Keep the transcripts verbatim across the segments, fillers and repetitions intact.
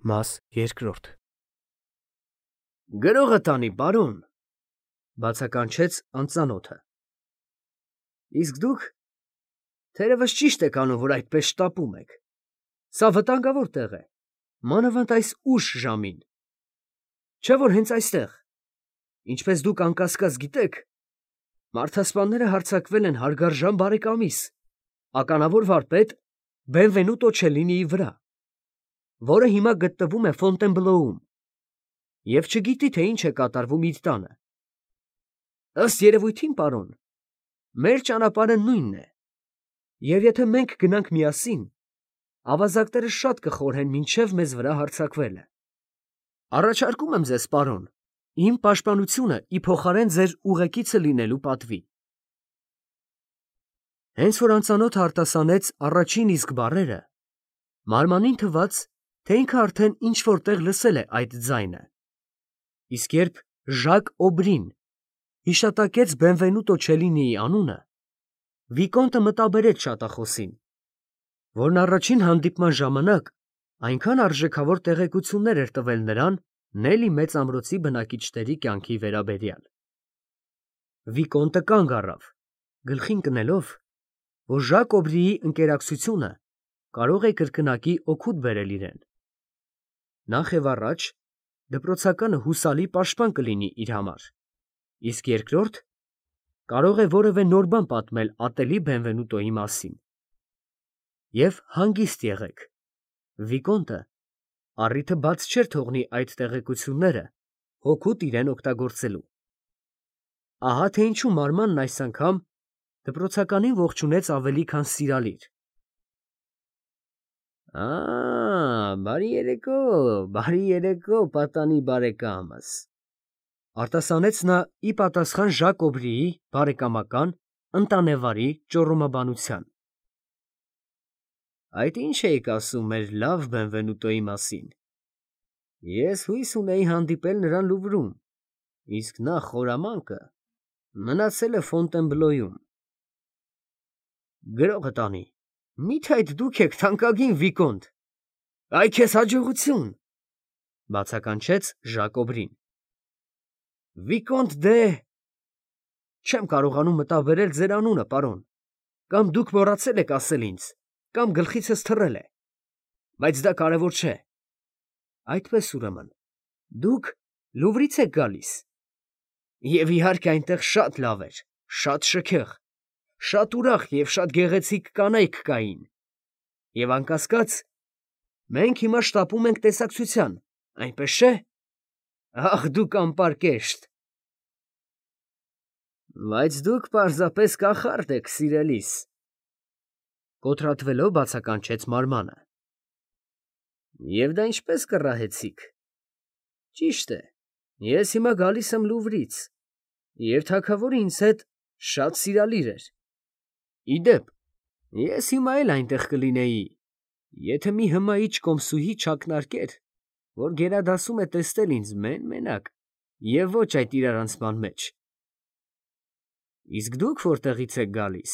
Մաս երկրորդ Գրողը տանի, պարոն, բացականչեց անծանոթը։ Իսկ դուք թերևս ճիշտ եք անում, որ այդպես շտապում եք։ Սա վտանգավոր տեղ է, մանավանդ այս ուշ ժամին։ Չէ՞ որ հենց այստեղ, ինչպես դուք անկասկած գիտեք, մարդասպանները հարձակվել են հարգարժան բարեկամիս, ականավոր վարպետ Բենվենուտո Չելլինիի վրա, որը հիմա գտնվում է Ֆոնտենբլոում և չգիտի, թե ինչ է կատարվում իր տանը։ Ըստ երևույթին, պարոն, մեր ճանապարհը նույնն է, և եթե մենք գնանք միասին, ավազակները շատ կխորհեն մինչև մեզ վրա հարձակվելը։ Առաջարկում եմ ձեզ, պարոն, իմ պաշտպանությունը ի փոխարեն ձեր ուղեկիցը լինելու պատվի։ Հենց որ անծանոթը արտասանեց առաջին իսկ բառերը, մարմանին թվաց, թե ինքը արդեն ինչ֊որ տեղ լսել է այդ ձայնը, իսկ երբ Ժակ Օբրին հիշատակեց Բենվենուտո Չելլինիի անունը, վիկոնտը մտաբերեց շատախոսին, որն առաջին հանդիպման ժամանակ այնքան արժեքավոր տեղեկություններ էր տվել նրան Նելի մեծ ամրոցի բնակիչների կյանքի վերաբերյալ։ Վիկոնտը կանգ առավ, գլխին կնելով, որ Ժակ Օբրիի ընկերակցությունը կարող է կրկնակի օգուտ բերել իրեն։ Նախ և առաջ դպրոցականը հուսալի պաշտպան կլինի իր համար, իսկ երկրորդ կարող է որևէ նոր բան պատմել ատելի Բենվենուտոյի մասին։ Եվ հանգիստ եղեք, վիկոնտը առիթը բաց չէր թողնի այդ տեղեկությունները հօգուտ իրեն օգտագործելու։ Ահա թե ինչու մարմանն այս անգամ դպրոցականին ողջունեց ավելի քան սիրալիր։ Ա, բարի երեկո, բարի երեկո, պատանի բարեկամս, արտասանեց նա ի պատասխան Ժակ Օբրիի բարեկամական, ընտանեվարի ճոռոմաբանության։ Այդ ի՞նչ էիք ասում մեր լավ Բենվենուտոյի մասին։ Ես հույս ունեի հանդիպել նրան Լուվրում, իսկ նա խորամանկը մնացել է Ֆոնտենբլոյում։ Գրողը տանի, մի՞թե այդ դուք եք, թանկագին վիկոնտ, այ քեզ հաջողություն, բացականչեց Ժակ Օբրին։ Վիկոնտ դե… Չեմ կարողանում մտաբերել ձեր անունը, պարոն, կամ դուք մոռացել եք ասել ինձ, կամ գլխիցս թռել է, բայց դա կարևոր չէ։ Այդպես, ուրեմն, դուք Լուվրից եք գալիս, և իհարկե այնտեղ շատ լավ էր, շատ շքեղ, շատ ուրախ և շատ գեղեցիկ կանայք կային, և անկասկած, մենք հիմա շտապում ենք տեսակցության, այնպես չէ՞։ Ախ, դուք անպարկեշտ… Բայց դուք պարզապես կախարդ եք, սիրելիս, կոտրատվելով բացականչեց մարմանը։ Եվ դա ինչպես կռահեցիք։ Ճիշտ է, ես հիմա գալիս եմ Լուվրից, և թագավորը ինձ հետ շատ սիրալիր էր։ Ի դեպ, ես հիմա էլ այնտեղ կլինեի, եթե մի հմայիչ կոմսուհի չակնարկեր, որ գերադասում է տեսնել ինձ մեն֊մենակ և ոչ այդ իրարանցման մեջ։ Իսկ դուք որտեղից եք գալիս։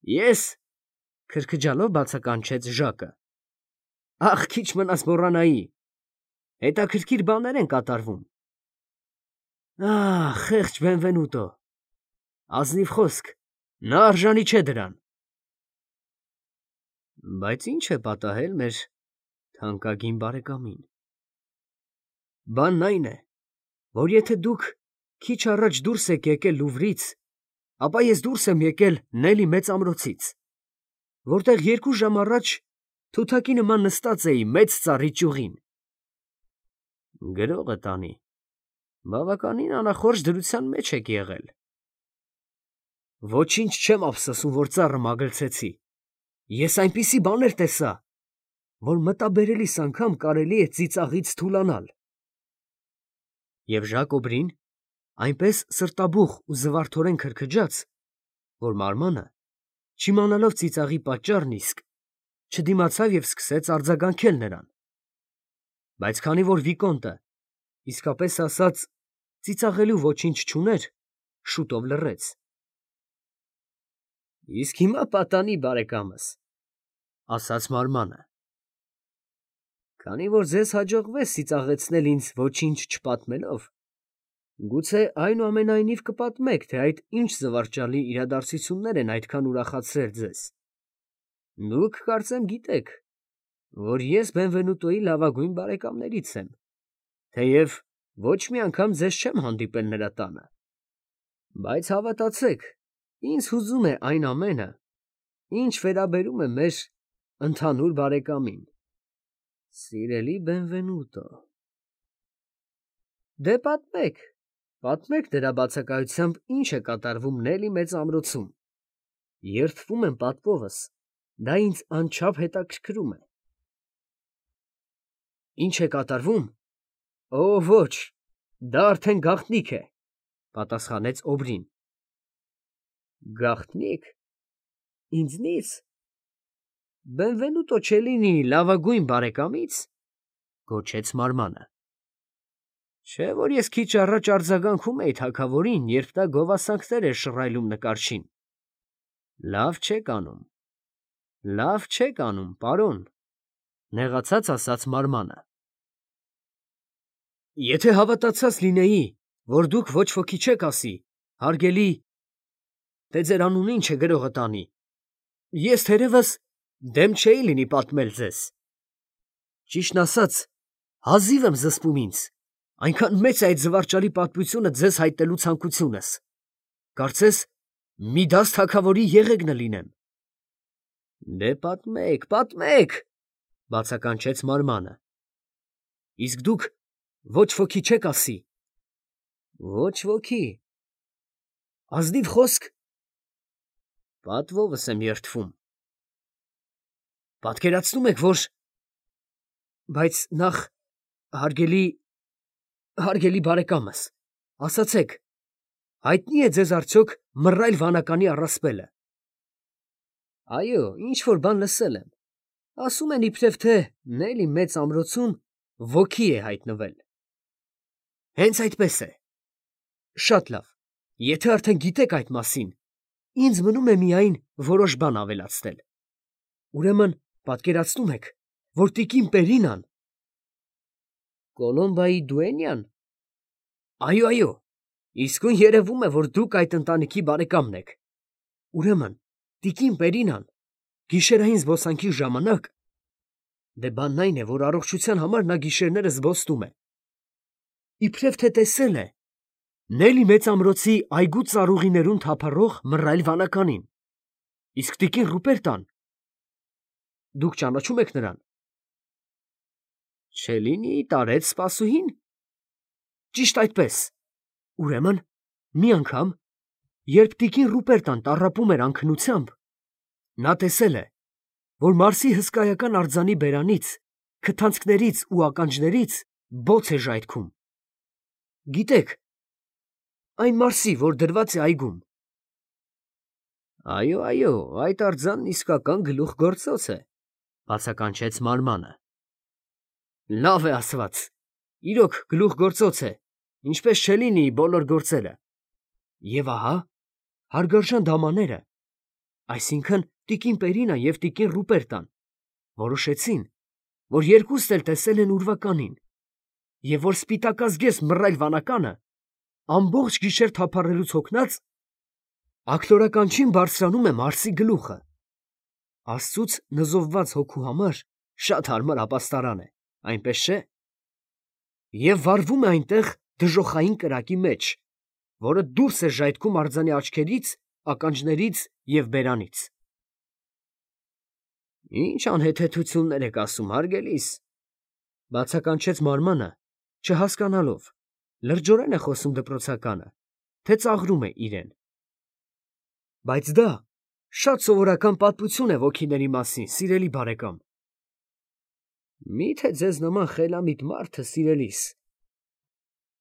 Ես… քրքջալով բացականչեց Ժակը։ Ախ, քիչ մնաց մոռանայի, հետաքրքիր բաներ են կատարվում։ Ահ, խեղճ Բենվենուտո… Ազնիվ խոսք, նա արժանի չէ դրան։ Բայց ի՞նչ է պատահել մեր թանկագին բարեկամին։ Բանն այն է, որ եթե դուք քիչ առաջ դուրս եք եկել Լուվրից, ապա ես դուրս եմ եկել Նելի մեծ ամրոցից, որտեղ երկու ժամ առաջ թութակի նման նստած էի մեծ ծառի ճյուղին։ Գրողը տանի, բավականին անախորժ դրության մեջ եք եղել։ Ոչինչ չեմ ափսոսում, որ ծառը մագլցեցի, ես այնպիսի բաներ տեսա, որ մտաբերելիս անգամ կարելի է ծիծաղից թուլանալ։ Եվ Ժակ Օբրին այնպես սրտաբուխ ու զվարթորեն քրքջաց, որ մարմանը, չիմանալով ծիծաղի պատճառն իսկ, չդիմացավ և սկսեց արձագանքել նրան։ Բայց քանի որ վիկոնտը, իսկապես ասած, ծիծաղելու ոչինչ չուներ, շուտով լռեց։ Իսկ հիմա պատանի բարեկամս, ասաց մարմանը, Քանի որ ձեզ հաջողվեց ծիծաղեցնել ինձ ոչինչ չպատմելով, գուցե այնուամենայնիվ կպատմեք, թե այդ ինչ զվարճալի իրադարձություններ են այդքան ուրախացրել ձեզ։ Դուք կարծեմ գիտեք, որ ես Բենվենուտոյի լավագույն բարեկամներից եմ, թեև ոչ մի անգամ ձեզ չեմ հանդիպել նրա տանը, բայց հավատացեք, ինձ հուզում է այն ամենը, ինչ վերաբերում է մեր ընդհանուր բարեկամին։ Սիրելի Բենվենուտո, դե պատմեք, պատմեք դրա բացակայությամբ ինչ է կատարվում Նելի մեծ ամրոցում։ Երդվում եմ պատվովս, դա ինձ անչափ հետաքրքրում է։ Ինչ է կատարվում։ Օ, ոչ, դա արդեն գաղտնիք է, պատասխանեց Օբրին։ Գաղտնիք։ Ինձնից։ Բենվենուտո Չելինի լավագույն բարեկամից, գոչեց Մարմանը։ Չէ՞ որ ես քիչ առաջ արձագանքում էի թագավորին, երբ նա գովասանքներ էր շռայլում նկարչին։ Լավ չեք անում, լավ չեք անում, պարոն, նեղացած ասաց Մարմանը։ Եթե հավատացած լինեի, որ դուք ոչ ոքի չեք ասի, հարգելի, թե ձեր անունը ինչ է գրողը տանի, ես թերևս դեմ չէի լինի պատմել ձեզ։ Ճիշտն ասած, հազիվ եմ զսպում ինձ, այնքան մեծ է այդ զվարճալի պատմությունը ձեզ հայտնելու ցանկությունս։ Կարծես մի դաս թագավորի եղեգնը լինեմ։ Դե պատմեք, պատմեք, բացականչեց Մարմանը։ Իսկ դուք ոչ ոքի չեք ասի։ Ոչ ոքի։ Ազնիվ խոսք։ Պատվովս եմ երդվում։ Պատկերացնում եք, որ… Բայց նախ, հարգելի, հարգելի բարեկամս, ասացեք, հայտնի է ձեզ արդյոք մռայլ վանականի առասպելը։ Այո, ինչ-որ բան լսել եմ։ Ասում են իբրև թե Նելի մեծ ամրոցում ոգի է հայտնվել։ Հենց այդպես է։ Շատ լավ, եթե արդեն գիտեք այդ մասին, ինձ մնում է միայն որոշ բան ավելացնել։ Ուրեմն պատկերացնում եք, որ տիկին Պերինան… Կոլոմբայի դուենյան… Այո, այո, իսկույն երևում է, որ դուք այդ ընտանիքի բարեկամն եք։ Ուրեմն տիկին Պերինան գիշերային զբոսանքի ժամանակ… Դե բանն այն է, որ առողջության համար նա գիշերները զբոսնում է… Իբրև թե տեսել է Նելի մեծ ամրոցի այգու ծառուղիներում թափառող մռայլ վանականին։ Իսկ տիկին Ռուպերտան… Դուք ճանաչում եք նրան։ Չելինիի տարեց սպասուհի՞ն։ Ճիշտ այդպես։ Ուրեմն մի անգամ, երբ տիկին Ռուպերտան տառապում էր անքնությամբ, նա տեսել է, որ Մարսի հսկայական արձանի բերանից, քթանցքներից ու ականջներից բոց է ժայթքում։ Գիտեք, այն Մարսի, որ դրված է այգում։ Այո, այո, այդ արձանն իսկական գլուխգործոց է, բացականչեց Մարմանը։ Լավ է ասված, իրոք գլուխգործոց է, ինչպես Չելինիի բոլոր գործերը։ Եվ ահա, հարգարժան դամաները, այսինքն տիկին Պերինան և տիկին Ռուպերտան, որոշեցին, որ երկուսն էլ տեսել են ուրվականին, և որ սպիտակազգեստ մռայլ վանականը, ամբողջ գիշեր թափառելուց հոգնած, աքլորականչին բարձրանում է Մարսի գլուխը։ Աստծուց նզովված հոգու համար շատ հարմար ապաստարան է, այնպես չէ՞։ Եվ վառվում է այնտեղ դժոխային կրակի մեջ, որը դուրս է ժայթքում արձանի աչքերից, ականջներից և բերանից։ Ինչ անհեթեթություններ եք ասում, հարգելիս, բացականչեց Մարմանը, չհասկանալով, լրջորեն է խոսում դպրոցականը, թե ծաղրում է իրեն։ Բայց դա շատ սովորական պատմություն է ոգիների մասին, սիրելի բարեկամ։ Մի՞թե ձեզ նման խելամիտ մարդը, սիրելիս,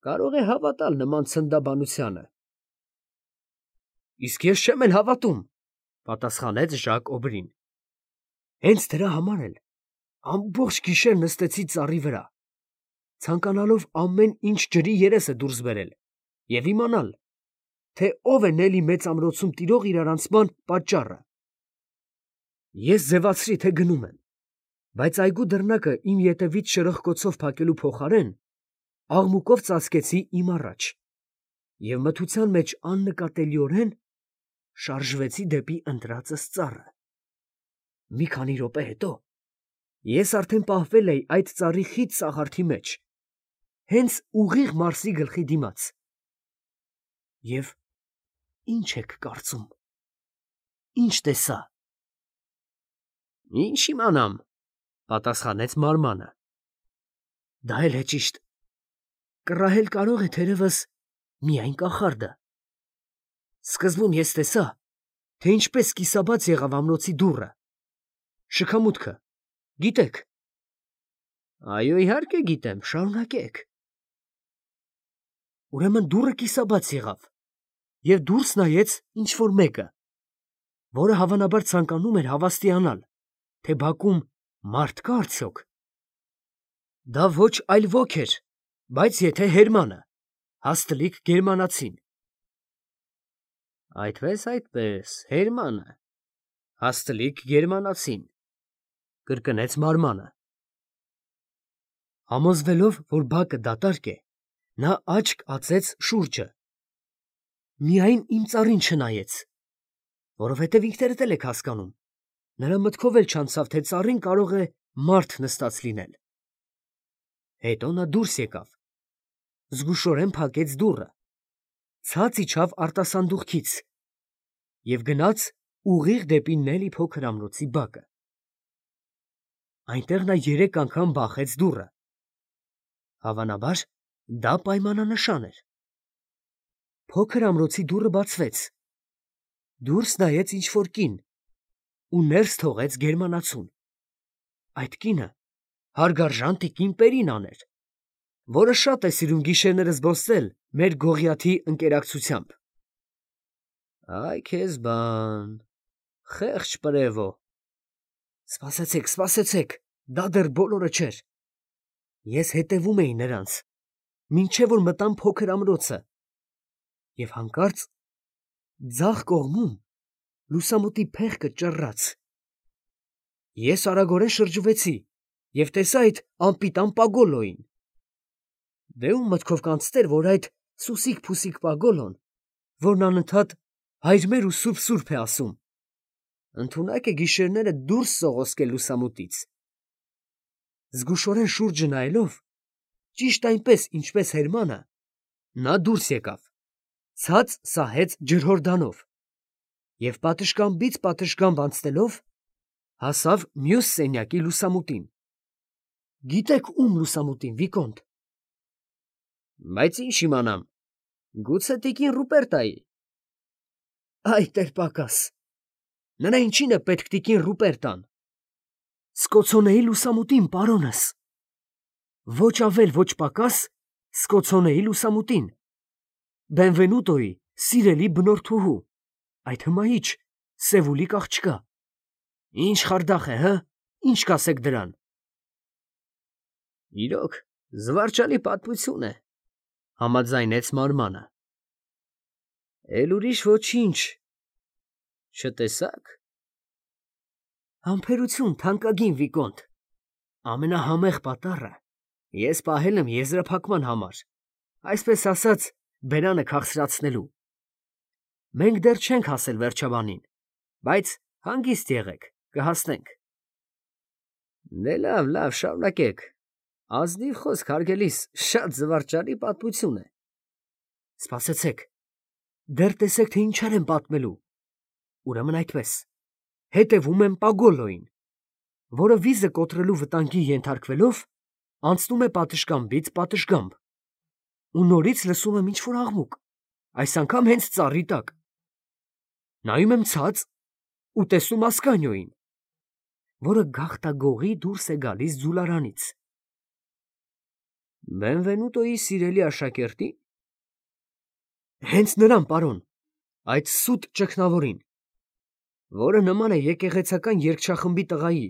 կարող է հավատալ նման ցնդաբանությանը։ Իսկ ես չեմ էլ հավատում, պատասխանեց Ժակ Օբրին։ Հենց դրա համար էլ ամբողջ գիշեր նստեցի ծառի վրա, ցանկանալով ամեն ինչ ջրի երեսը դուրս բերել և իմանալ, թե ով է Նելի մեծ ամրոցում տիրող իրարանցման պատճառը։ Ես ձևացրի, թե գնում եմ, Բայց այգու դռնակը իմ ետևից շրխկոցով փակելու փոխարեն աղմուկով ծածկեցի իմ առաջ և մթության մեջ աննկատելիորեն շարժվեցի դեպի ընտրածս ծառը։ Մի քանի րոպե հետո ես արդեն պահվել էի այդ ծառի խիտ սաղարթի մեջ, հենց ուղիղ Մարսի գլխի դիմաց։ Եվ ի՞նչ եք կարծում, ի՞նչ տեսա։ ֊ Ի՞նչ իմանամ, ֊ պատասխանեց մարմանը։ ֊ Դա էլ է ճիշտ. կռահել կարող է թերևս միայն կախարդը։ Սկզբում ես տեսա, թե ինչպես կիսաբաց եղավ ամրոցի դուռը, շքամուտքը, գիտեք։ ֊ Այո, իհարկե գիտեմ, շարունակեք։ ֊ Ուրեմն դուռը կիսաբաց եղավ, և դուրս նայեց ինչ֊որ մեկը, որը հավանաբար ցանկանում էր հավաստիանալ, թե բակում մարդ կա՞ արդյոք։ Դա ոչ այլ ոք էր, բայց եթե Հերմանը, հաստլիկ գերմանացին։ ֊ Այդպես, այդպես, Հերմանը, հաստլիկ գերմանացին, ֊ կրկնեց մարմանը։ Համոզվելով, որ բակը դատարկ է, նա աչք ածեց շուրջը, միայն իմ ծառին չնայեց, որովհետև ինքներդ էլ եք հասկանում, նրա մտքով էլ չանցավ, թե ծառին կարող է մարդ նստած լինել։ Հետո նա դուրս եկավ, զգուշորեն փակեց դուռը, ցած իջավ արտասանդուղքից և գնաց ուղիղ դեպի Նելի փոքր ամրոցի բակը։ Այնտեղ նա երեք անգամ բախեց դուռը։ Հավանաբար, դա պայմանանշան էր։ Փոքր ամրոցի դուռը բացվեց, դուրս նայեց ինչ֊որ կին ու ներս թողեց գերմանացուն։ Այդ կինը հարգարժան տիկին Պերինան էր, որը շատ է սիրում գիշերները զբոսնել մեր Գողիաթի ընկերակցությամբ։ Այ քեզ բան, խեղճ պրևո։ Սպասեցեք, սպասեցեք, դա դեռ բոլորը չէր։ Ես հետևում էի նրանց, մինչև որ մտամ փոքր ամրոցը, և հանկարծ ձախ կողմում լուսամուտի փեղկը ճռռաց։ Ես արագորեն շրջվեցի և տեսա այդ անպիտան Պագոլոյին։ Դե ո՞ւմ մտքով կանցներ, որ այդ սուսիկ֊փուսիկ Պագոլոն, որն անընդհատ «Հայր մեր» ու «Սուրբ, Սուրբ» է ասում, ընդունակ է գիշերները դուրս սողոսկել լուսամուտից։ Զգուշորեն շուրջը նայելով, ճիշտ այնպես, ինչպես Հերմանը, նա դուրս եկավ, ցած սահեց ջրհորդանով և պատշգամբից պատշգամբ անցնելով հասավ մյուս սենյակի լուսամուտին։ Գիտեք ո՞ւմ լուսամուտին, Վիկոնտ։ ֊ Բայց ի՞նչ իմանամ, գուցե տիկին Ռուպերտայի։ ֊ Այ տեր֊Պակաս, նրա ինչին է պետք տիկին Ռուպերտան։ Սկոցոնեի լուսամուտին, պարոնս։ Ոչ ավել, ոչ պակաս Սկոցոնեի լուսամուտին, Բենվենուտոյի սիրելի բնորդուհու, այդ հմայիչ Սևուլիկ աղջկա։ Ինչ խարդախ է, հը՞, ինչ կասեք դրան։ ֊ Իրոք, զվարճալի պատմություն է, ֊ համաձայնեց մարմանը։ ֊ Էլ ուրիշ ոչինչ չտեսա՞ք։ ֊ Համբերություն, թանկագին Վիկոնտ, ամենահամեղ պատառը ես պահել եմ եզրափակման համար, այսպես ասած, բերանը քաղցրացնելու։ Մենք դեռ չենք հասել վերջաբանին, բայց հանգիստ եղեք, կհասնենք։ ֊ Դե լավ, լավ, շարունակեք, ազնիվ խոսք, հարգելիս, շատ զվարճալի պատմություն է։ ֊ Սպասեցեք, դեռ տեսեք, թե ինչեր եմ պատմելու։ Ուրեմն այդպես, հետևում եմ Պագոլոյին, որը վիզը կոտրելու վտանգի ենթարկվելով անցնում է պատշգամբից պատշգամբ, ու նորից լսում եմ ինչ֊որ աղմուկ, այս անգամ հենց ծառի տակ։ Նայում եմ ցած ու տեսնում Ասկանիոյին, որը գաղտագողի դուրս է գալիս ձուլարանից։ ֊ Բենվենուտոյի սիրելի աշակերտի՞ն։ ֊ Հենց նրան, պարոն, այդ սուտ ճգնավորին, որը նման է եկեղեցական երգչախմբի տղայի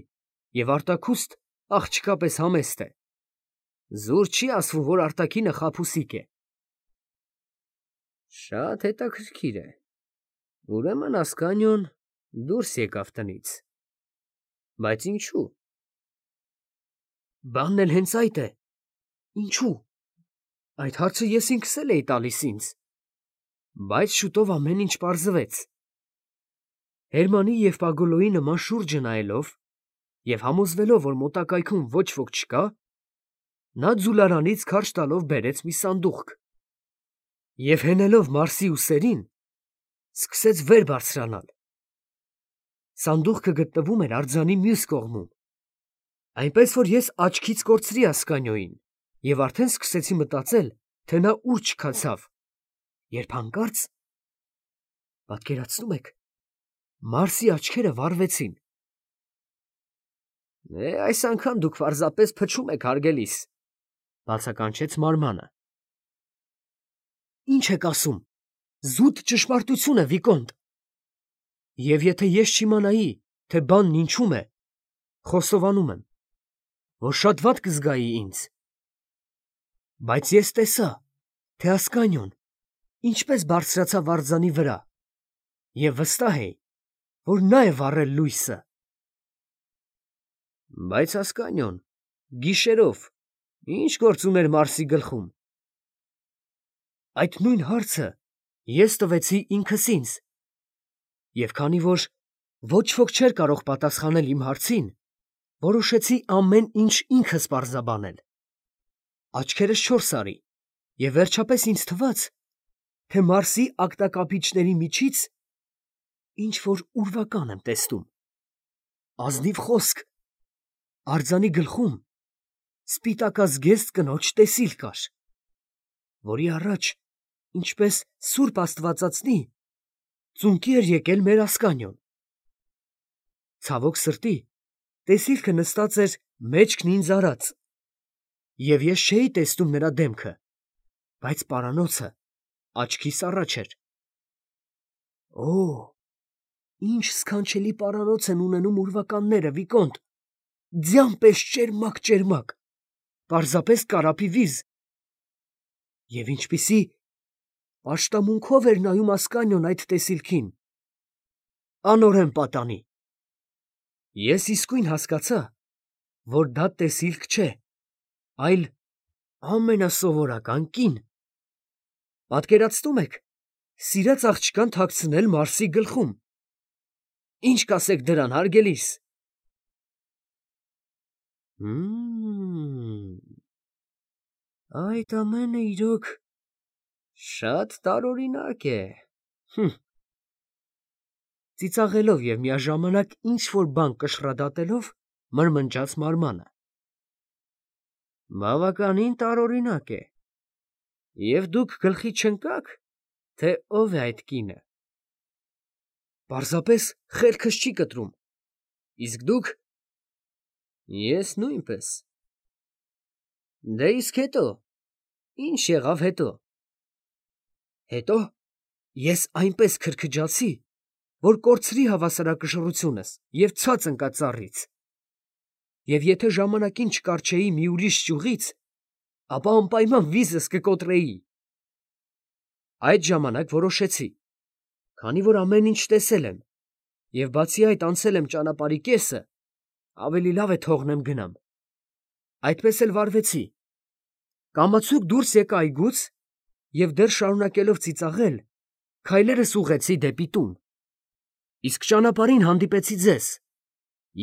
և արտաքուստ աղջկա պես համեստ է, զուր չի ասվում, որ արտաքինը խաբուսիկ է։ ֊ Շատ հետաքրքիր է, ուրեմն Ասկանիոն դուրս եկավ տնից։ Բայց ինչո՞ւ։ Բանն էլ հենց այդ է։ Ինչու՞։ Այդ հարցը ես ինքս էլ էի տալիս ինձ։ Բայց շուտով ամեն ինչ պարզվեց։ Հերմանի և Պագոլոյի նման շուրջը նայելով և համոզվելով, որ մոտակայքում ոչ ոք չկա, նա ձուլարանից քարշ տալով բերեց մի սանդուղք և հենելով Մարսի ուսերին, սկսեց վեր բարձրանալ։ Սանդուղքը գտնվում էր արձանի մյուս կողմում, այնպես որ ես աչքից կորցրի Ասկանիոյին և արդեն սկսեցի մտածել, թե նա ուր չքացավ, երբ հանկարծ, պատկերացնում եք, Մարսի աչքերը վառվեցին։ «Է, այս անգամ դուք պարզապես փչում եք, հարգելիս», բացականչեց Մարմանը։ «Ի՞նչ եք ասում, զուտ ճշմարտություն է, Վիկոնտ։ Եվ եթե ես չիմանայի, թե բանն ինչում է, խոստովանում եմ, որ շատ վատ կզգայի ինձ։ Բայց ես տեսա, թե Ասկանիոն ինչպես բարձրացավ արձանի վրա և վստահ էի, որ նա է վառել լույսը»։ «Բայց Ասկանիոն գիշերով ի՞նչ գործ ուներ Մարսի գլխում»։ Այդ նույն հարցը ես տվեցի ինքս ինձ, և քանի որ ոչ ոք չէր կարող պատասխանել իմ հարցին, որոշեցի ամեն ինչ ինքս պարզաբանել։ Աչքերս չորս արի և վերջապես ինձ թվաց, թե Մարսի ակտակապիչների միջից ինչ֊որ ուրվական եմ տեսնում։ Ազնիվ խոսք, արձանի գլխում սպիտակազգեստ կնոջ տեսիլ կար, որի առաջ, ինչպես սուրբ աստվածածնի, ծունկի էր եկել մեր Ասկանիոն։ Ցավոք սրտի, տեսիլքը նստած էր մեջքն ինձ արած, և ես չէի տեսնում նրա դեմքը, բայց պարանոցը աչքիս առաջ էր։ Օ՜, ինչ սքանչելի պարանոց են ունենում ուրվականները, Վիկոնտ, ձյան պես ճերմակ, պարզապես կարապի վիզ։ Եվ ինչպիսի պաշտամունքով էր նայում Ասկանիոն այդ տեսիլքին։ Անօրեն պատանի։ Ես իսկույն հասկացա, որ դա տեսիլք չէ, այլ ամենասովորական կին։ Պատկերացնում եք, սիրած աղջկան թաքցնել Մարսի գլխում։ Ինչ կասեք դրան, հարգելիս։ Հըմ… Այդ ամենը իրոք շատ տարօրինակ է։ Հըմ… Ծիծաղելով և միաժամանակ ինչ֊որ բան կշռադատելով, մրմնջաց Մարմանը։ Բավականին տարօրինակ է։ Եվ դուք գլխի չընկա՞ք, թե ով է այդ կինը։ Պարզապես խելքս չի կտրում։ Իսկ դուք։ Ես նույնպես։ Դե իսկ հետո, ի՞նչ եղավ հետո։ Հետո ես այնպես քրքջացի, որ կորցրի հավասարակշռությունս և ցած ընկա ծառից, և եթե ժամանակին չկառչեի մի ուրիշ ճյուղից, ապա անպայման վիզս կկոտրեի։ Այդ ժամանակ որոշեցի, քանի որ ամեն ինչ տեսել եմ, և բացի այդ անցել եմ ճանապարհի կեսը, ավելի լավ է թողնեմ գնամ։ Այդպես էլ վարվեցի։ Կամացուկ դուրս եկա այգուց և դեռ շարունակելով ծիծաղել, քայլերս ուղղեցի դեպի տուն։ Իսկ ճանապարհին հանդիպեցի ձեզ,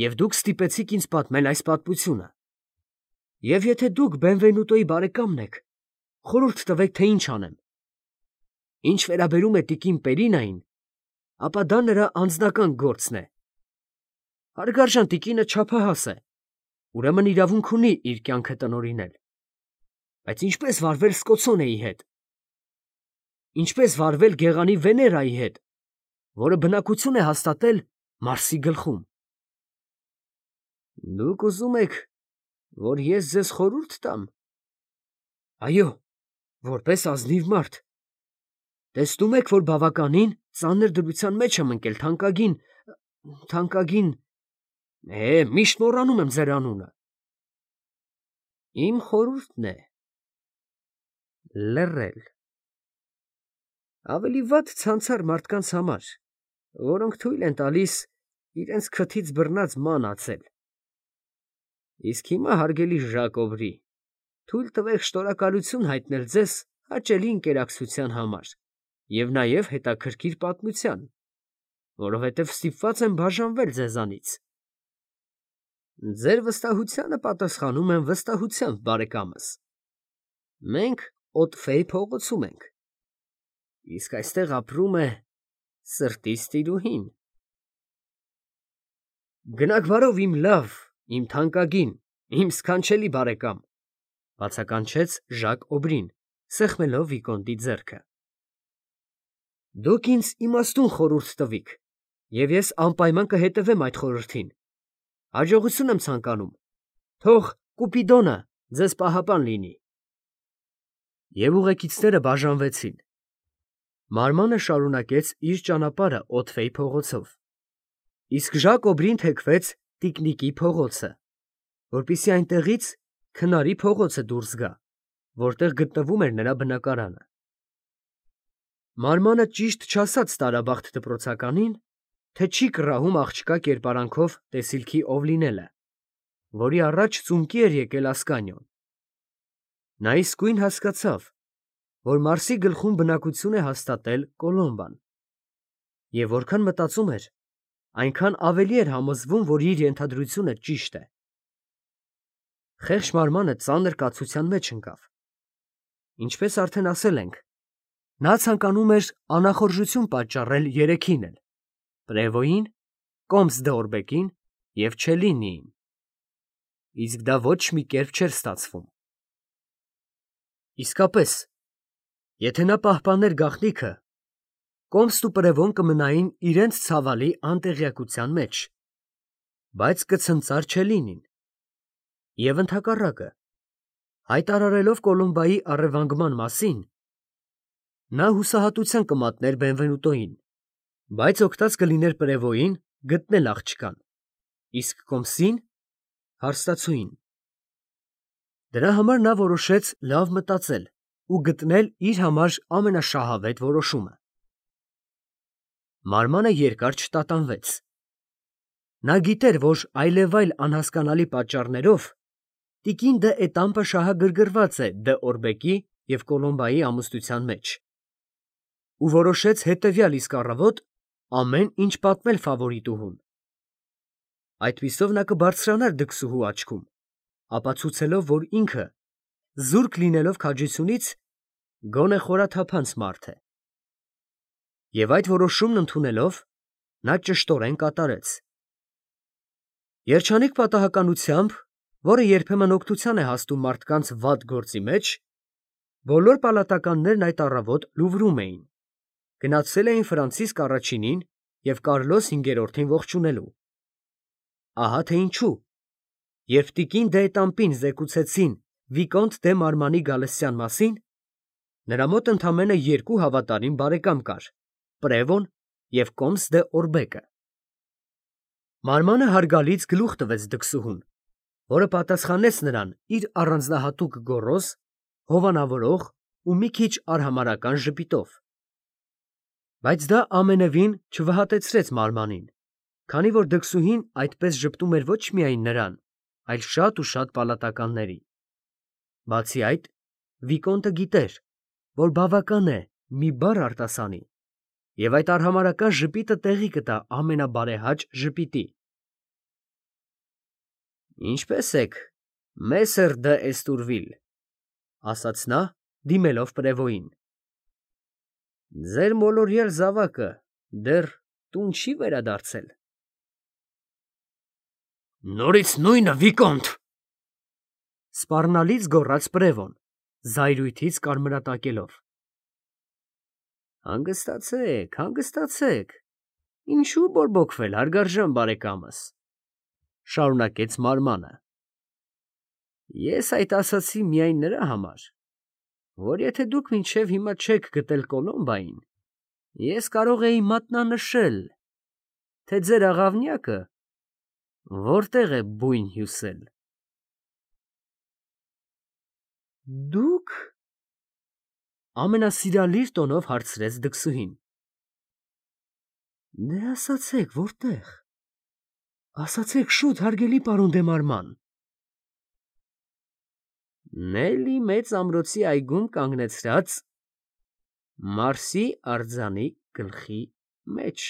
և դուք ստիպեցիք ինձ պատմել այս պատմությունը։ Եվ եթե դուք Բենվենուտոյի բարեկամն եք, խորհուրդ տվեք, թե ինչ անեմ։ Ինչ վերաբերում է տիկին Պերինային, ապա դա նրա անձնական գործն է։ Հարգարժան տիկինը չափահաս է, ուրեմն իրավունք ունի իր կյանքը տնօրինել։ Բայց ինչպե՞ս վարվել Սկոցոնեի հետ։ Ինչպե՞ս վարվել գեղանի Վեներայի հետ, որը բնակություն է հաստատել Մարսի գլխում։ Դուք ուզում եք, որ ես ձեզ խորհուրդ տամ։ Այո, որպես ազնիվ մարդ։ Տեսնում եք, որ բավականին ծանր դրության մեջ եմ ընկել, թանկագին… թանկագին… Է, միշտ մոռանում եմ ձեր անունը։ Իմ խորհուրդն է… լռել։ Ավելի վատ ցանցառ մարդկանց համար, որոնք թույլ են տալիս իրենց քթից բռնած ման ածել։ Իսկ հիմա, հարգելի Ժակոբրի, թույլ տվեք շնորհակալություն հայտնել ձեզ հաճելի ընկերակցության համար և նաև հետաքրքիր պատմության, որովհետև ստիպված եմ բաժանվել ձեզանից։ Ձեր վստահությանը պատասխանում եմ վստահությամբ, բարեկամս։ Մենք Օտֆեյ փողոցում ենք, իսկ այստեղ ապրում է սրտիս տիրուհին։ Գնաք բարով, իմ լավ, իմ թանկագին, իմ սքանչելի բարեկամ, բացականչեց Ժակ Օբրին, սեղմելով վիկոնդի ձեռքը։ Դուք ինձ իմաստուն խորհուրդ տվիք, և ես անպայման կհետևեմ այդ խորհրդին։ Հաջողություն եմ ցանկանում, թող Կուպիդոնը ձեզ պահապան լինի։ Եվ ուղեկիցները բաժանվեցին։ Մարմանը շարունակեց իր ճանապարհը Օտֆեյ փողոցով, իսկ Ժակ Օբրին թեքվեց տիկնիկի փողոցը, որպեսզի այնտեղից քնարի փողոցը դուրս գա, որտեղ գտնվում էր նրա բնակարանը։ Մարմանը ճիշտ չասաց տարաբախտ դպրոցականին, թե չի կռահում աղջկա կերպարանքով տեսիլքի ով լինելը, որի առաջ ծունկի էր եկել Ասկանիոն։ Նա իսկույն հասկացավ, որ Մարսի գլխում բնակություն է հաստատել Կոլոմբան, և որքան մտածում էր, այնքան ավելի էր համոզվում, որ իր ենթադրությունը ճիշտ է։ Խեղճ մարմանը ծանր կացության մեջ ընկավ։ Ինչպես արդեն ասել ենք, նա ցանկանում էր անախորժություն պատճառել երեքին էլ՝ Պրևոյին, Կոմս դե Օրբեկին և Չելլինիին, իսկ դա ոչ մի կերպ չէր ստացվում։ Իսկապես, եթե նա պահպաներ գաղտնիքը, Կոմսն ու Պրևոն կմնային իրենց ցավալի անտեղյակության մեջ, բայց կցնծար Չելլինին, և ընդհակառակը, հայտարարելով Կոլոմբայի առևանգման մասին, նա հուսահատության կմատներ Բենվենուտոյին, բայց օգտած կլիներ Պրևոյին գտնել աղջկան, իսկ Կոմսին հարստացուին։ Դրա համար նա որոշեց լավ մտածել ու գտնել իր համար ամենաշահավետ որոշումը։ Մարմանը երկար չտատանվեց։ Նա գիտեր, որ այլևայլ անհասկանալի պատճառներով տիկին դը Էտամպը շահագրգռված է դը Օրբեկի և Կոլոմբայի ամուսնության մեջ, ու որոշեց հետևյալ իսկ առավոտ ամեն ինչ պատմել ֆավորիտուհուն։ Այդպիսով նա կբարձրանար դքսուհու աչքում, ապացուցելով, որ ինքը, զուրկ լինելով քաջությունից, գոնե խորաթափանց մարդ է։ Եվ այդ որոշումն ընդունելով, նա ճշտորեն կատարեց։ Երջանիկ պատահականությամբ, որը երբեմն օգնության է հասնում մարդկանց վատ գործի մեջ, բոլոր պալատականներն այդ առավոտ Լուվրում էին, գնացել էին Ֆրանցիսկ առաջինին և Կարլոս հինգերորդին ողջունելու։ Ահա թե ինչու, երբ տիկին դե Էտամպին զեկուցեցին վիկոնտ դե Մարմանի գալստյան մասին, նրա մոտ ընդամենը երկու հավատարիմ բարեկամ կար՝ Պրևոն և Կոմս դե Օրբեկը։ Մարմանը հարգալից գլուխ տվեց դքսուհուն, որը պատասխանեց նրան իր առանձնահատուկ գոռոզ, հովանավորող ու մի քիչ արհամարհական ժպիտով։ Բայց դա ամենևին չվհատեցրեց Մարմանին, քանի որ դքսուհին այդպես ժպտում էր ոչ միայն նրան, այլ շատ ու շատ պալատականների։ Բացի այդ, վիկոնտը գիտեր, որ բավական է մի բառ արտասանի, և այդ արհամարհական ժպիտը տեղի կտա ամենաբարեհաճ ժպիտի։ Ինչպե՞ս եք, մեսեր դը Էստուրվիլ, ֊ ասաց նա, դիմելով Պրևոյին։ Ձեր մոլորյալ զավակը դեռ տուն չի վերադարձել։ Նորից նույնը, վիկոնտ, ֊ սպառնալից գոռաց Պրևոն, զայրույթից կարմրատակելով։ Հանգստացեք, հանգստացեք, ինչու բորբոքվել, հարգարժան բարեկամս, ֊ շարունակեց Մարմանը։ Ես այդ ասացի միայն նրա համար, որ եթե դուք մինչև հիմա չեք գտել Կոլոմբային, ես կարող էի մատնանշել, թե ձեր աղավնյակը որտեղ է բույն հյուսել։ Դուք… ամենասիրալիր տոնով հարցրեց դքսուհին։ Դե ասացեք, որտեղ, ասացեք շուտ, հարգելի պարոն դե Մարման, Նելի մեծ ամրոցի այգում կանգնեցրած Մարսի արձանի գլխի մեջ։